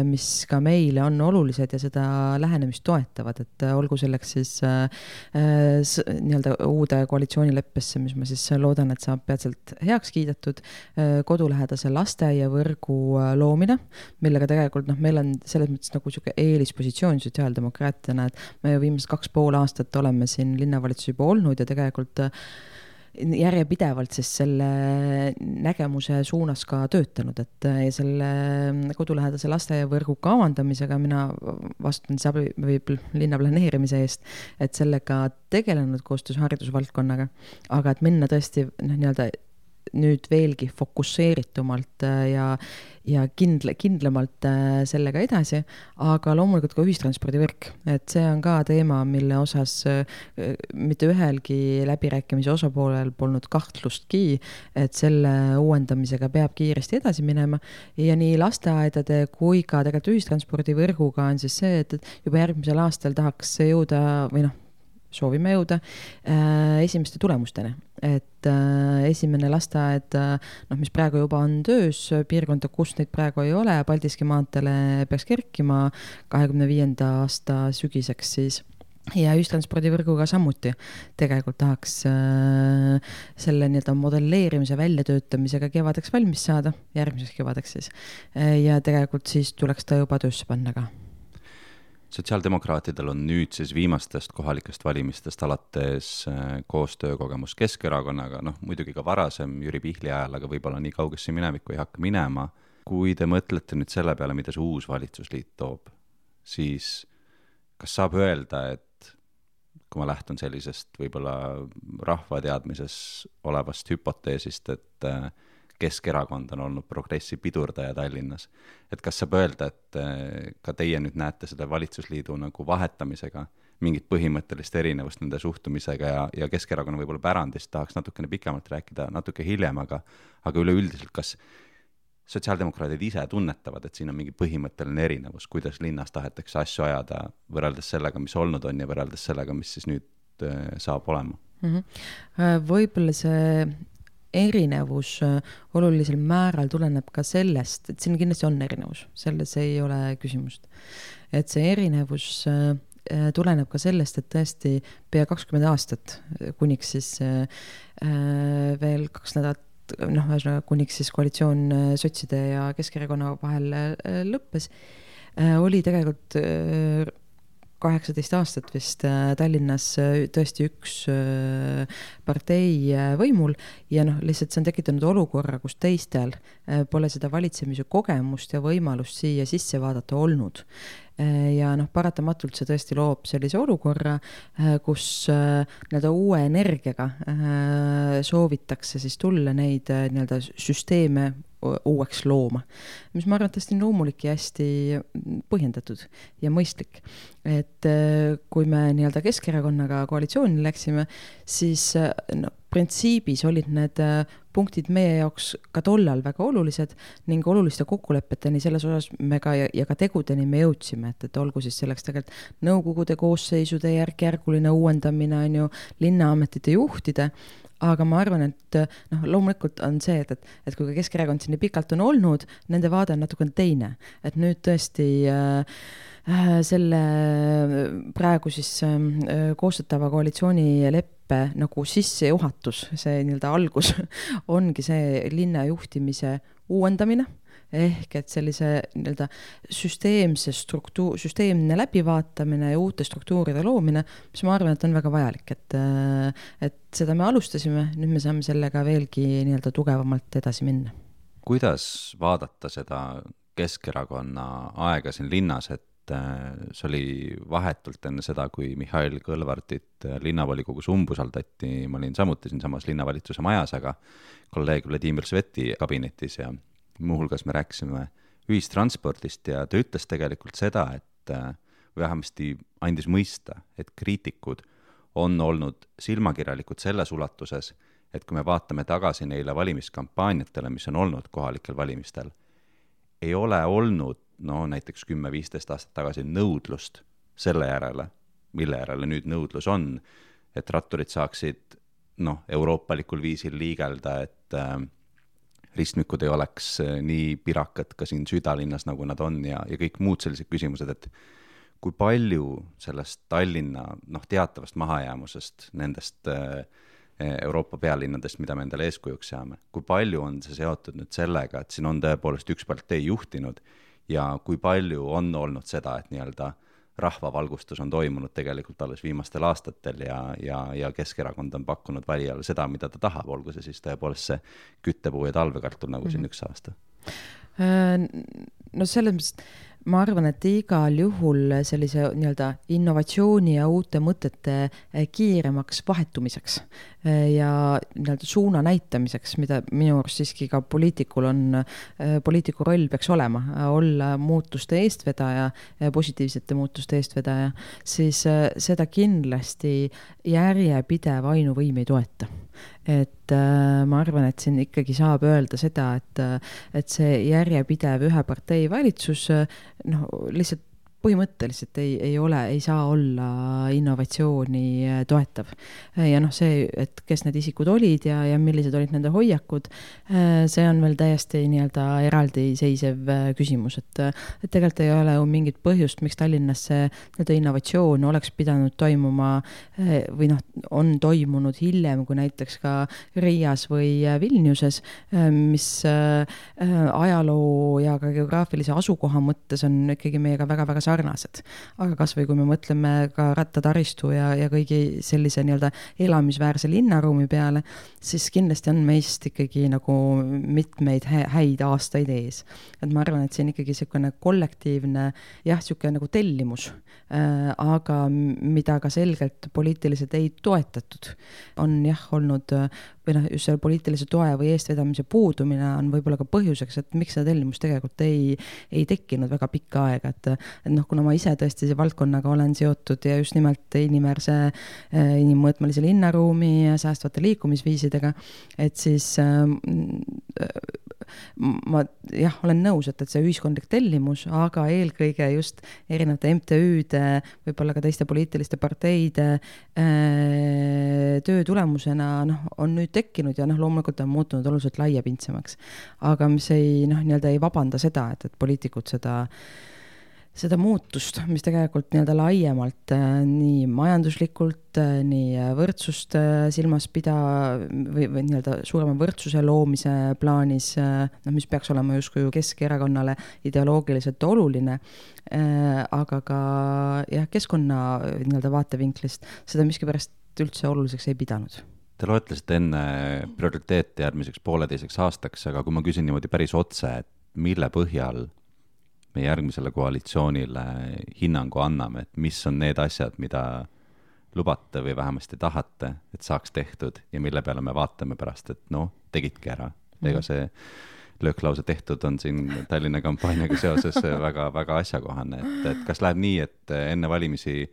mis ka meile on olulised ja seda lähenemist toetavad, et olgu selleks siis äh, nii-öelda uude koalitsioonileppesse, mis ma siis loodan, et saab peatselt heaks kiidetud, äh, kodulähedase lasteaiavõrgu loomine, millega tegelikult noh, meil on selles mõttes nagu siuke eelispositsioon sotsiaaldemokraatidena, et me viimased kaks pool aastat oleme siin linnavalitsusi juba olnud ja tegelikult järjepidevalt siis selle nägemuse suunas ka töötanud, et ja selle kodulähedase lasteaiavõrgu kavandamisega mina vastutan või linna planeerimise eest, et sellega tegelenud koostöös haridusvaldkonnaga, aga et minna tõesti noh, nii-öelda nüüd veelgi fokusseeritumalt ja, ja kindle, kindlamalt sellega edasi, aga loomulikult ka ühistranspordivõrk, et see on ka teema, mille osas mitte ühelgi läbirääkimise osapoolel polnud kahtlustki, et selle uuendamisega peab kiiresti edasi minema ja nii lasteaedade kui ka tegelikult ühistranspordivõrguga on siis see, et juba järgmisel aastal tahaks jõuda või noh, soovime jõuda äh, esimeste tulemusteni, et äh, esimene lasteaed, noh, mis praegu juba on töös, piirkonda, kus neid praegu ei ole, Paldiski maanteele peaks kerkima kahekümne viienda aasta sügiseks siis ja ühistranspordivõrguga samuti tegelikult tahaks äh, selle nii-öelda modelleerimise väljatöötamisega kevadeks valmis saada, järgmiseks kevadeks siis, ja tegelikult siis tuleks ta juba töösse panna ka. sotsiaaldemokraatidel on nüüd siis viimastest kohalikest valimistest alates koostöökogemus Keskerakonnaga, noh muidugi ka varasem Jüri Pihli ajal, aga võib-olla nii kaugesse minevikku ei hakka minema. Kui te mõtlete nüüd selle peale, mida see uus valitsusliit toob, siis kas saab öelda, et kui ma lähtun sellisest võib-olla rahvateadmises olevast hüpoteesist, et Keskerakond on olnud progressi pidurdaja Tallinnas. Et kas saab öelda, et ka teie nüüd näete selle valitsusliidu nagu vahetamisega mingit põhimõttelist erinevust nende suhtumisega ja, ja Keskerakonna võib-olla pärandist tahaks natukene pikemalt rääkida natuke hiljem, aga, aga üleüldiselt, kas sotsiaaldemokraadid ise tunnetavad, et siin on mingi põhimõtteline erinevus, kuidas linnas tahetakse asju ajada võrreldes sellega, mis olnud on ja võrreldes sellega, mis siis nüüd saab olema? Mm-hmm. Võib-olla see erinevus olulisel määral tuleneb ka sellest, et siin kindlasti on erinevus, selles ei ole küsimust. Et see erinevus tuleneb ka sellest, et tõesti pea kakskümmend aastat, kuniks siis veel kaks nädalat, noh, kuniks siis koalitsioon sotside ja Keskerakonna vahel lõppes, oli tegelikult kaheksateist aastat vist Tallinnas tõesti üks partei võimul ja noh, lihtsalt see on tekitanud olukorra, kus teistel pole seda valitsemise kogemust ja võimalust siia sisse vaadata olnud. Ja noh, paratamatult see tõesti loob sellise olukorra, kus nii-öelda uue energiaga soovitakse siis tulla neid nii-öelda süsteeme uueks looma, mis ma arvan, et tõesti loomulik ja hästi põhjendatud ja mõistlik. Et kui me nii-öelda Keskerakonnaga koalitsiooni läksime, siis no, printsiibis olid need punktid meie jaoks ka tollal väga olulised ning oluliste kokkulepeteni selles osas me ka ja, ja ka tegudeni me jõudsime, et, et olgu siis selleks tegelikult nõukogude koosseisude järk-järguline uuendamine on ju linnaametite juhtide, aga ma arvan, et noh, loomulikult on see, et, et, et kui Keskerakond siin nii pikalt on olnud, nende vaade on natuke teine, et nüüd tõesti äh, selle praegu siis äh, koostatava koalitsioonileppe nagu sissejuhatus, see nii-öelda algus ongi see linna juhtimise uuendamine, ehk et sellise nii-öelda süsteemse struktuur, süsteemne läbivaatamine ja uute struktuuride loomine, mis ma arvan, et on väga vajalik, et, et seda me alustasime, nüüd me saame sellega veelgi nii-öelda tugevamalt edasi minna. Kuidas vaadata seda Keskerakonna aega siin linnas, et see oli vahetult enne seda, kui Mihhail Kõlvartit linnavolikogus umbusaldati, ma olin samuti siin samas linnavalitsuse majas, aga kolleeg Vladimir Sveti kabinetis ja muuhulgas me rääkisime ühistranspordist ja ta ütles tegelikult seda, et vähemasti andis mõista, et kriitikud on olnud silmakirjalikud selles ulatuses, et kui me vaatame tagasi neile valimiskampaaniatele, mis on olnud kohalikel valimistel, ei ole olnud no näiteks kümme viisteist aastat tagasi nõudlust selle järele, mille järele nüüd nõudlus on, et ratturid saaksid noh, euroopalikul viisil liigelda, et äh, ristmikud ei oleks nii pirakad ka siin südalinnas, nagu nad on ja, ja kõik muud sellised küsimused, et kui palju sellest Tallinna noh, teatavast mahajäämusest nendest äh, Euroopa pealinnadest, mida me endale eeskujuks saame, kui palju on see seotud nüüd sellega, et siin on tõepoolest üks partei juhtinud ja kui palju on olnud seda, et nii-öelda rahvavalgustus on toimunud tegelikult alles viimastel aastatel ja, ja, ja Keskerakond on pakkunud valijale seda, mida ta tahab, olgu see siis tõepoolest see küttepuu ja talvekartul nagu siin üks aasta? No selles mõttes ma arvan, et igal juhul sellise nii-öelda innovatsiooni ja uute mõtete kiiremaks vahetumiseks ja nii-öelda suuna näitamiseks, mida minu arust siiski ka poliitikul on, poliitiku roll peaks olema, olla muutuste eestvedaja, positiivsete muutuste eestvedaja, siis seda kindlasti järjepidev ainuvõim ei toeta. Et äh, ma arvan, et siin ikkagi saab öelda seda, et, et see järjepidev ühe partei valitsus no, lihtsalt põhimõtteliselt ei, ei ole, ei saa olla innovatsiooni toetav. Ja noh, see, et kes need isikud olid ja, ja millised olid nende hoiakud, see on veel täiesti nii-öelda eraldi seisev küsimus, et, et tegelikult ei ole ju mingit põhjust, miks Tallinnas see nii-öelda innovatsioon oleks pidanud toimuma või noh, on toimunud hiljem kui näiteks ka Riias või Vilniuses, mis ajaloo ja ka geograafilise asukoha mõttes on ikkagi meiega väga-väga sarnased. Aga kas või kui me mõtleme ka rattataristu ja, ja kõigi sellise nii-öelda elamisväärse linnaruumi peale, siis kindlasti on meist ikkagi nagu mitmeid häid aastaid ees. Et ma arvan, et see on ikkagi selline kollektiivne, jah, selline nagu tellimus, äh, aga mida ka selgelt poliitiliselt ei toetatud. On jah olnud, või noh, just selle poliitilise toe või eestvedamise puudumine on võib-olla ka põhjuseks, et miks seda tellimus tegelikult ei, ei tekkinud väga pikka aega, et, et noh, kuna ma ise tõesti see valdkonnaga olen seotud ja just nimelt inimväärse, inimmõõtmelise linnaruumi ja säästvate liikumisviisidega, et siis äh, ma jah, olen nõus, et, et see ühiskondlik tellimus, aga eelkõige just erinevate M T Ü-de, võib-olla ka teiste poliitiliste parteide äh, töö tulemusena noh, on nüüd tekkinud ja noh, loomulikult on muutunud oluliselt laiapindsemaks. Aga mis ei, noh, nii-öelda ei vabanda seda, et, et poliitikud seda seda muutust, mis tegelikult nii-öelda laiemalt nii majanduslikult, nii võrdsust silmas pida või, või nii-öelda suurema võrdsuse loomise plaanis, no, mis peaks olema justkui Keskerakonnale ideoloogiliselt oluline, aga ka jah, keskkonna nii-öelda vaatevinklist seda miskipärast üldse oluliseks ei pidanud. Te loetlesite enne prioriteete järgmiseks pooleteiseks aastaks, aga kui ma küsin niimoodi päris otse, et mille põhjal me järgmisele koalitsioonile hinnangu anname, et mis on need asjad, mida lubate või vähemasti tahate, et saaks tehtud ja mille peale me vaatame pärast, et noh, tegidki ära. Ega see lööklause tehtud on siin Tallinna kampaaniaga seoses väga, väga asjakohane, et, et kas läheb nii, et enne valimisi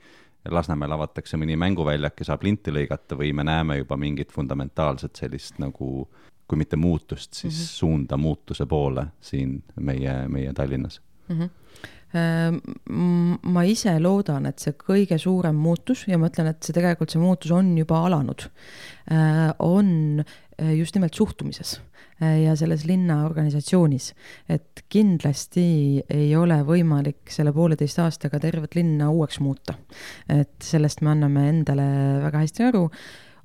Lasnamäel avatakse mõni mänguväljak ja saab linti lõigata või me näeme juba mingit fundamentaalset sellist nagu, kui mitte muutust, siis mm-hmm. suunda muutuse poole siin meie, meie Tallinnas? Mm-hmm. Ma ise loodan, et see kõige suurem muutus ja ma ütlen, et see tegelikult see muutus on juba alanud, on just nimelt suhtumises ja selles linna organisatsioonis, et kindlasti ei ole võimalik selle pooleteist aastaga tervet linna uueks muuta. Et sellest me anname endale väga hästi aru.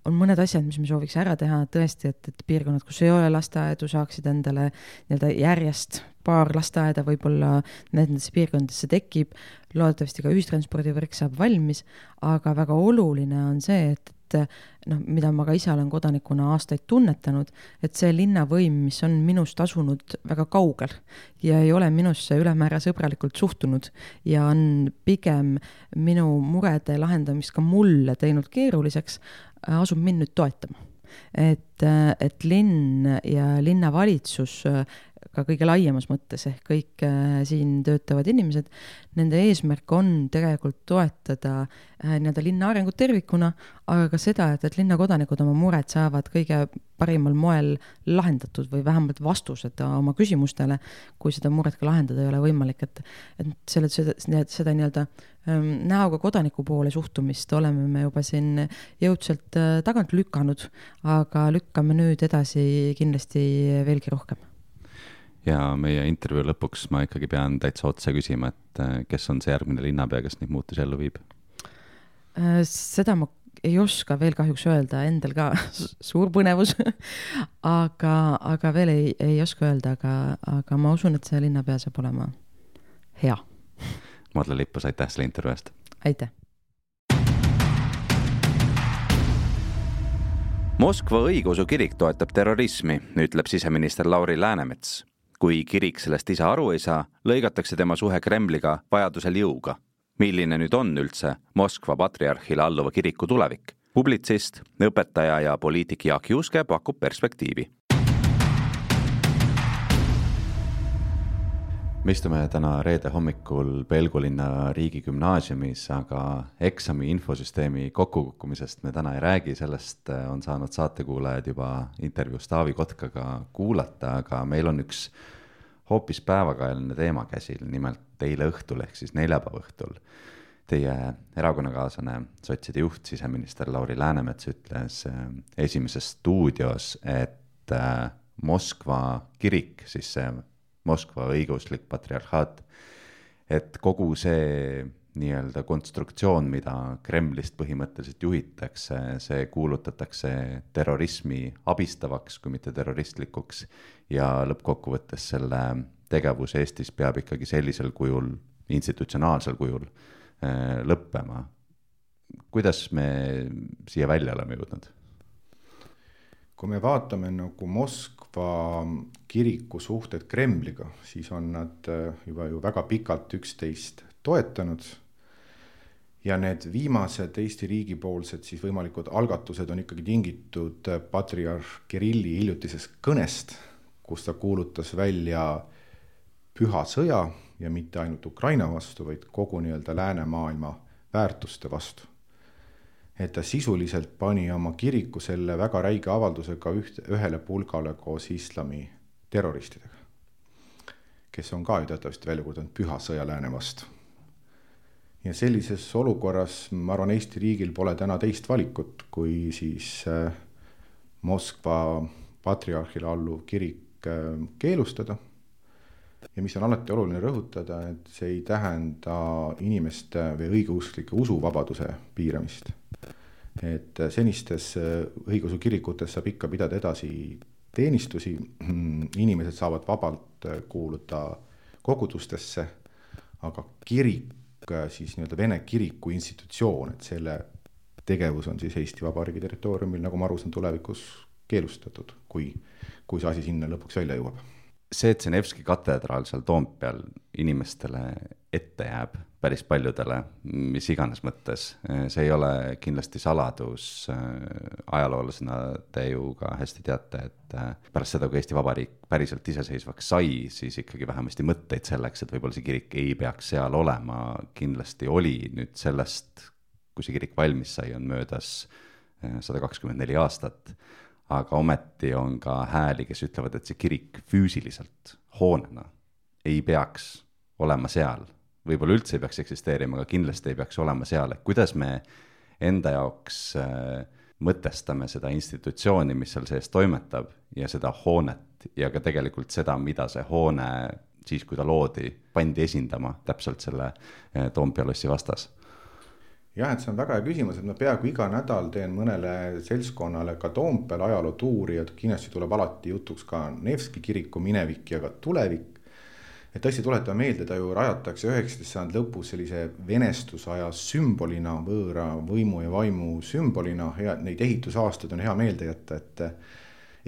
On mõned asjad, mis me sooviks ära teha tõesti, et, et piirkonnad, kus ei ole lasteaedu, saaksid endale nii-öelda järjest paar lasteaeda, võib-olla nendesse piirkondadesse tekib, loodetavasti ka ühistranspordivõrk saab valmis, aga väga oluline on see, et, et noh, mida ma ka ise olen kodanikuna aastaid tunnetanud, et see linnavõim, mis on minust asunud väga kaugel ja ei ole minusse ülemäära sõbralikult suhtunud ja on pigem minu murede lahendamist ka mulle teinud keeruliseks, asub mind nüüd toetama. Et, et linn ja linnavalitsus ka kõige laiemas mõttes ehk kõik siin töötavad inimesed, nende eesmärk on tegelikult toetada nii-öelda linna arengut tervikuna, aga ka seda, et, et linnakodanikud oma mured saavad kõige parimal moel lahendatud või vähemalt vastused oma küsimustele, kui seda muret ka lahendada ei ole võimalik, et, et selle, seda, seda nii-öelda näoga kodaniku poole suhtumist oleme me juba siin jõudselt tagant lükanud, aga lükkame nüüd edasi kindlasti veelgi rohkem. Ja meie intervjuu lõpuks ma ikkagi pean täitsa otse küsima, et kes on see järgmine linnapea, kes neid muutusi ellu viib? Seda ma ei oska veel kahjuks öelda, endal ka suur põnevus, aga, aga veel ei, ei oska öelda, aga, aga ma usun, et see linnapea saab olema hea. Madle Lippus, aitäh selle intervjuu eest. Aitäh. Moskva õigeusu kirik toetab terrorismi, ütleb siseminister Lauri Läänemets. Kui kirik sellest ise aru ei saa, lõigatakse tema suhe Kremliga vajadusel jõuga. Milline nüüd on üldse Moskva patriarhile alluva kiriku tulevik? Publitsist, õpetaja ja poliitik Jaak Juske pakub perspektiivi. Me istume täna reede hommikul Pelgulinna riigigümnaasiumis, aga eksami infosüsteemi kokkukukkumisest me täna ei räägi, sellest on saanud saatekuulajad juba intervjuus Taavi Kotkaga kuulata, aga meil on üks hoopis päevakajaline teema käsil, nimelt eile õhtul ehk siis neljapäeva õhtul. Teie erakonnakaaslane, sotside juht, siseminister Lauri Läänemets ütles esimeses stuudios, et Moskva kirik, siis see Moskva õiguslik patriarhaat, et kogu see nii-öelda konstruktsioon, mida Kremlist põhimõtteliselt juhitakse, see kuulutatakse terrorismi abistavaks, kui mitte terroristlikuks, ja lõppkokkuvõttes selle tegevus Eestis peab ikkagi sellisel kujul institutsionaalsel kujul lõppema. Kuidas me siia välja oleme jõudnud? Kui me vaatame nagu Moskva kiriku suhted Kremliga, siis on nad juba ju väga pikalt üksteist toetanud ja need viimased Eesti riigipoolsed siis võimalikud algatused on ikkagi tingitud patriarh Kirilli hiljutisest kõnest, kus ta kuulutas välja püha sõja ja mitte ainult Ukraina vastu, vaid kogu nii-öelda läänemaailma väärtuste vastu. Et ta sisuliselt pani oma kiriku selle väga räige avaldusega üht, ühele pulgale koos islami terroristidega, kes on ka ju teatavasti välja kuulutanud püha sõja lääne vastu. Ja sellises olukorras, ma arvan, Eesti riigil pole täna teist valikut, kui siis Moskva patriarhile alluv kirik keelustada. Ja mis on alati oluline rõhutada, et see ei tähenda inimeste või õigeusklike usuvabaduse piiramist. Et senistes õigeusu kirikutes saab ikka pidada edasi teenistusi, inimesed saavad vabalt kuuluda kogudustesse, aga kirik, siis nii-öelda Vene kiriku institutsioon, et selle tegevus on siis Eesti Vabariigi territooriumil, nagu ma aru saan, tulevikus keelustatud, kui, kui see asi sinna lõpuks välja jõuab. See, et see Nevski katedraal seal Toompeal inimestele ette jääb, päris paljudele, mis iganes mõttes, see ei ole kindlasti saladus. Ajaloolasena te ju ka hästi teate, et pärast seda, kui Eesti Vabariik päriselt iseseisvaks sai, siis ikkagi vähemasti mõtteid selleks, et võib-olla see kirik ei peaks seal olema, kindlasti oli. Nüüd sellest, kui see kirik valmis sai, on möödas sada kakskümmend neli aastat. Aga ometi on ka hääli, kes ütlevad, et see kirik füüsiliselt hoonena ei peaks olema seal. Võib-olla üldse ei peaks eksisteerima, aga kindlasti ei peaks olema seal. Et kuidas me enda jaoks mõtestame seda institutsiooni, mis seal sees toimetab ja seda hoonet ja ka tegelikult seda, mida see hoone siis, kui ta loodi, pandi esindama täpselt selle Toompea lossi vastas. Jah, et see on väga hea küsimus, et ma peaaegu iga nädal teen mõnele seltskonnale ka Toompeal ajalootuuri ja kindlasti tuleb alati jutuks ka Nevski kiriku minevik ja ka tulevik. Et tõesti tuletame meelde, ta ju rajatakse üheksateistkümnenda sajandi lõpus sellise venestusaja sümbolina, võõra võimu ja vaimu sümbolina. Hea, neid ehitusaastad on hea meelde jätta, et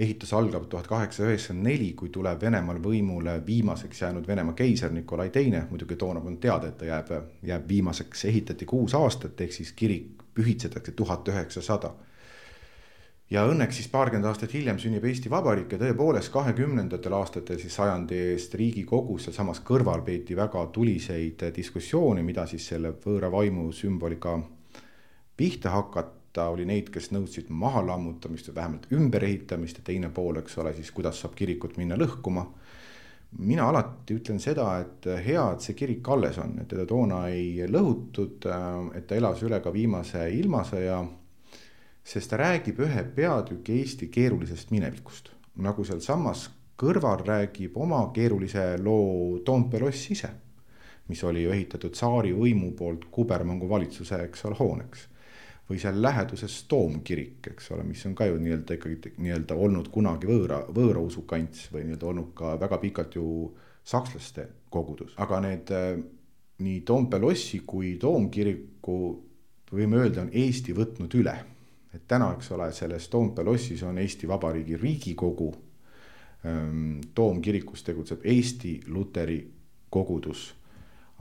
ehitus algab tuhat kaheksasada üheksakümmend neli, kui tuleb Venemaal võimule viimaseks jäänud Venemaa keiser Nikolai teine. Muidugi toona on teada, et ta jääb, jääb viimaseks, ehitati kuus aastat, ehk siis kirik pühitsetakse tuhat üheksasada. Ja õnneks siis paarkümmend aastat hiljem sünnib Eesti Vabariik ja tõepoolest kahekümnendatel aastatel siis sajandi eest Riigikogus ja samas kõrval peeti väga tuliseid diskussioone, mida siis selle võõra vaimu sümbolika pihta hakata. Oli neid, kes nõudsid maha lammutamist või vähemalt ümberehitamist ja teine pool, eks ole, siis kuidas saab kirikut minna lõhkuma. Mina alati ütlen seda, et hea, et see kirik alles on, et teda toona ei lõhutud, et ta elas üle ka viimase ilmasõja, sest ta räägib ühe peatüki Eesti keerulisest minevikust. Nagu seal samas kõrval räägib oma keerulise loo Toompea loss ise, mis oli ehitatud tsaari võimu poolt Kubermangu valitsuse, eks ole, hooneks. Või seal läheduses Toomkirik, eks ole, mis on ka ju nii-öelda, ikkagi, nii-öelda olnud kunagi võõra, võõra usukants või nii-öelda olnud ka väga pikalt ju sakslaste kogudus. Aga need nii Toompea lossi kui Toomkiriku võime öelda on Eesti võtnud üle. Et täna, eks ole, selles Toompea lossis on Eesti Vabariigi Riigikogu, Toomkirikus tegutseb Eesti Luteri kogudus,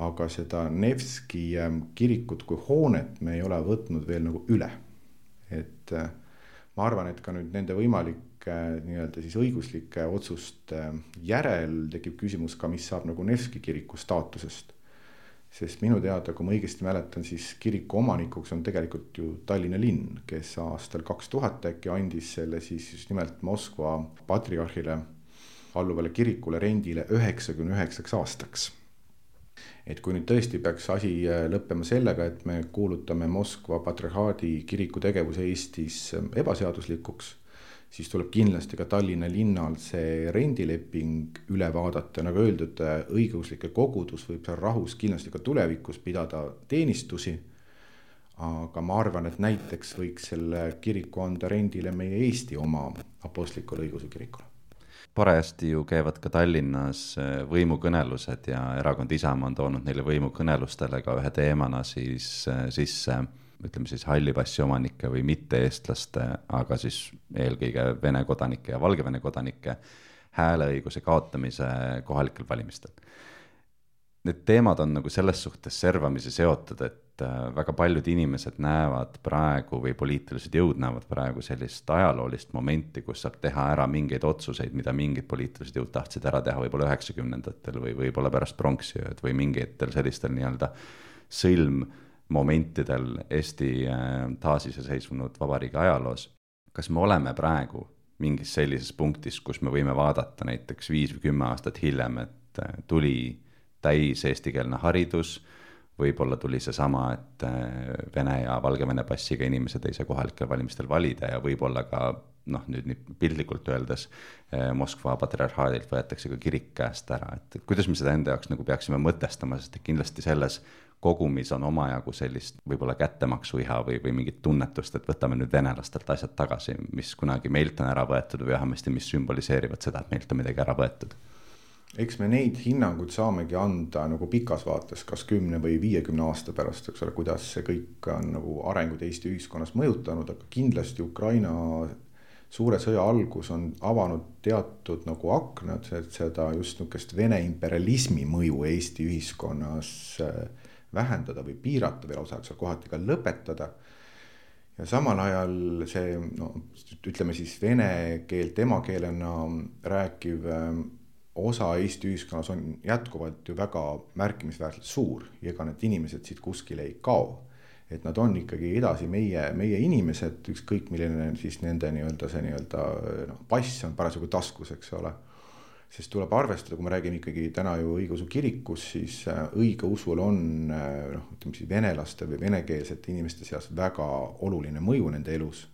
aga seda Nevski kirikut kui hoonet me ei ole võtnud veel nagu üle. Et ma arvan, et ka nüüd nende võimalike nii-öelda siis õiguslike otsuste järel tekib küsimus ka, mis saab nagu Nevski kiriku staatusest. Sest minu teada, kui ma õigesti mäletan, siis kiriku omanikuks on tegelikult ju Tallinna linn, kes aastal kaks tuhat äkki andis selle siis just nimelt Moskva patriarhile alluvale kirikule rendile üheksakümne üheksaks aastaks. Et kui nüüd tõesti peaks asi lõppema sellega, et me kuulutame Moskva patriarhaadi kiriku tegevuse Eestis ebaseaduslikuks, siis tuleb kindlasti ka Tallinna linnal see rendileping üle vaadata. Nagu öeldud, õigeuslike kogudus võib seal rahus kindlasti ka tulevikus pidada teenistusi, aga ma arvan, et näiteks võiks selle kiriku anda rendile meie Eesti oma apostlikule õigeusu kirikule. parajasti ju käivad ka Tallinnas võimukõnelused ja erakond Isamaa on toonud neile võimukõnelustele ka ühe teemana siis sisse, ütleme siis halli passi omanike või mitte-eestlaste, aga siis eelkõige Vene kodanike ja Valgevene kodanike hääleõiguse kaotamise kohalikel valimistel. Need teemad on nagu selles suhtes servamisi seotud, et väga paljud inimesed näevad praegu või poliitilised jõud näevad praegu sellist ajaloolist momenti, kus saab teha ära mingeid otsuseid, mida mingid poliitilised jõud tahtsid ära teha võib-olla üheksakümnendatel või võib-olla pärast pronksiööd või mingitel sellistel nii-öelda sõlmmomentidel Eesti taasiseseisvunud vabariigi ajaloos. Kas me oleme praegu mingis sellises punktis, kus me võime vaadata näiteks viis või kümme aastat hiljem, et tuli täis eestikeelne haridus, võib-olla tuli see sama, et Vene ja Valgevene passiga inimesed ei saa kohalikel valimistel valida ja võib-olla ka, noh nüüd nii piltlikult öeldes, Moskva patriarhaadilt võetakse ka kirik käest ära, et kuidas me seda enda jaoks nagu peaksime mõtestama, sest kindlasti selles kogumis on omajagu sellist võib-olla kättemaksuiha või, või mingit tunnetust, et võtame nüüd venelastelt asjad tagasi, mis kunagi meilt on ära võetud või vähemasti, mis sümboliseerivad seda, et meilt on midagi ära võetud. Eks me neid hinnanguid saamegi anda nagu pikas vaates, kas kümne või viiekümne aasta pärast, eks ole, kuidas see kõik on nagu arengud Eesti ühiskonnas mõjutanud, aga kindlasti Ukraina suure sõja algus on avanud teatud nagu aknad, et seda just nukest Vene imperialismi mõju Eesti ühiskonnas vähendada või piirata veel osa, eks ole, kohati ka lõpetada. Ja samal ajal see, no, ütleme siis vene keelt emakeelena rääkiv osa Eesti ühiskonnas on jätkuvalt ju väga märkimisväärselt suur ja ega need inimesed siit kuskile ei kao. Et nad on ikkagi edasi meie, meie inimesed, ükskõik milline siis nende nii-öelda see nii-öelda no, pass on parasjagu taskus, eks ole. Sest tuleb arvestada, kui me räägime ikkagi täna ju õigeusu kirikus, siis õigeusul on noh, ütleme siis venelaste või venekeelsete inimeste seas väga oluline mõju nende elus.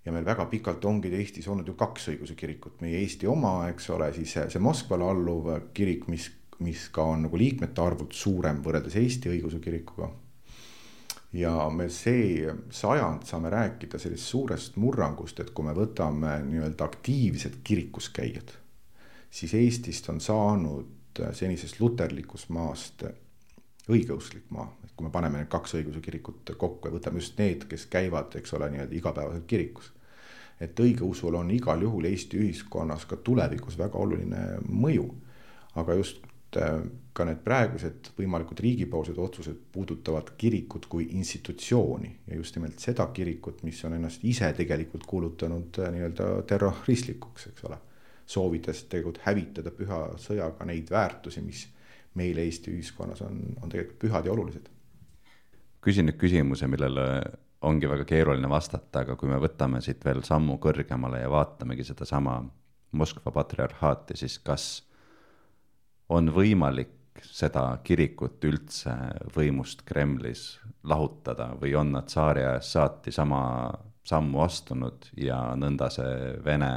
Ja meil väga pikalt ongi Eestis olnud ju kaks õigeusu kirikut, meie Eesti oma, eks ole, siis see Moskvale alluv kirik, mis, mis ka on nagu liikmete arvult suurem võrreldes Eesti õigeusu kirikuga. Ja me see sajand saame rääkida sellist suurest murrangust, et kui me võtame nii-öelda aktiivsed kirikuskäijad, siis Eestist on saanud senisest luterlikus maast õigeusklik maa, et kui me paneme need kaks õigeusu kirikut kokku ja võtame just need, kes käivad, eks ole, nii-öelda igapäevaselt kirikus. Et õigeusul on igal juhul Eesti ühiskonnas ka tulevikus väga oluline mõju, aga just ka need praegused võimalikud riigipoolsed otsused puudutavad kirikut kui institutsiooni ja just nimelt seda kirikut, mis on ennast ise tegelikult kuulutanud nii-öelda terroristlikuks, eks ole, soovides tegelikult hävitada püha sõjaga neid väärtusi, mis meil Eesti ühiskonnas on, on tegelikult pühad ja olulised. Küsin nüüd küsimuse, millele ongi väga keeruline vastata, aga kui me võtame siit veel sammu kõrgemale ja vaatamegi seda sama Moskva patriarhaati, siis kas on võimalik seda kirikut üldse võimust Kremlis lahutada või on nad tsaari ajast saati sama sammu astunud ja nõnda see Vene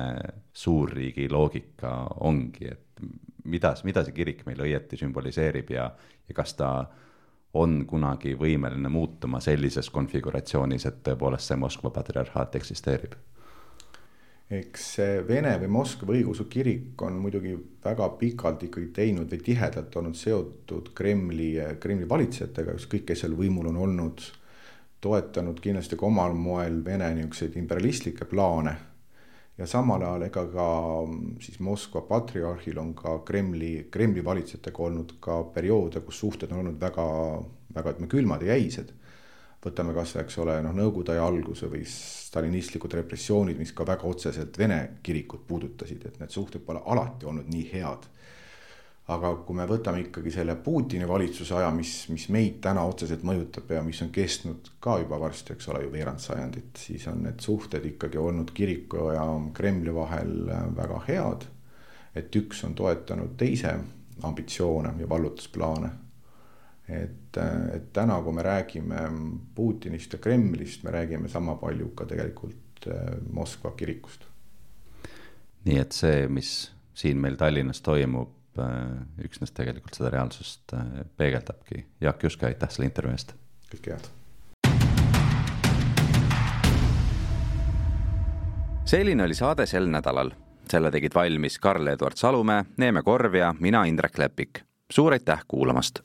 suurriigi loogika ongi, et mida, mida see kirik meil õieti sümboliseerib ja, ja kas ta on kunagi võimeline muutuma sellises konfiguratsioonis, et tõepoolest see Moskva patriarhaat eksisteerib? Eks see Vene või Moskva õigeusu kirik on muidugi väga pikalt ikkagi teinud või tihedalt olnud seotud Kremli, Kremli valitsejatega, ükskõik kes seal võimul on olnud, toetanud kindlasti ka omal moel Vene niisuguseid imperialistlikke plaane ja samal ajal ega ka siis Moskva patriarhil on ka Kremli, Kremli valitsejatega olnud ka perioode, kus suhted on olnud väga, väga ütleme, külmad ja jäised. Võtame kas, eks ole, noh, Nõukogude aja alguse või stalinistlikud repressioonid, mis ka väga otseselt Vene kirikut puudutasid, et need suhted pole alati olnud nii head. Aga kui me võtame ikkagi selle Putini valitsuse aja, mis, mis meid täna otseselt mõjutab ja mis on kestnud ka juba varsti, eks ole, ju veerand sajandit, siis on need suhted ikkagi olnud kiriku ja Kremli vahel väga head, et üks on toetanud teise ambitsioone ja vallutusplaane. Et, et täna, kui me räägime Putinist ja Kremlist, me räägime sama palju ka tegelikult Moskva kirikust. Nii et see, mis siin meil Tallinnas toimub, üksnes tegelikult seda reaalsust peegeldabki. Jaak Juske, aitäh selle intervjuu eest. Kõike head. Selline oli saade sel nädalal. selle tegid valmis Karl-Edward Salumäe, Neeme Korv ja mina, Indrek Lepik. Suur aitäh kuulamast!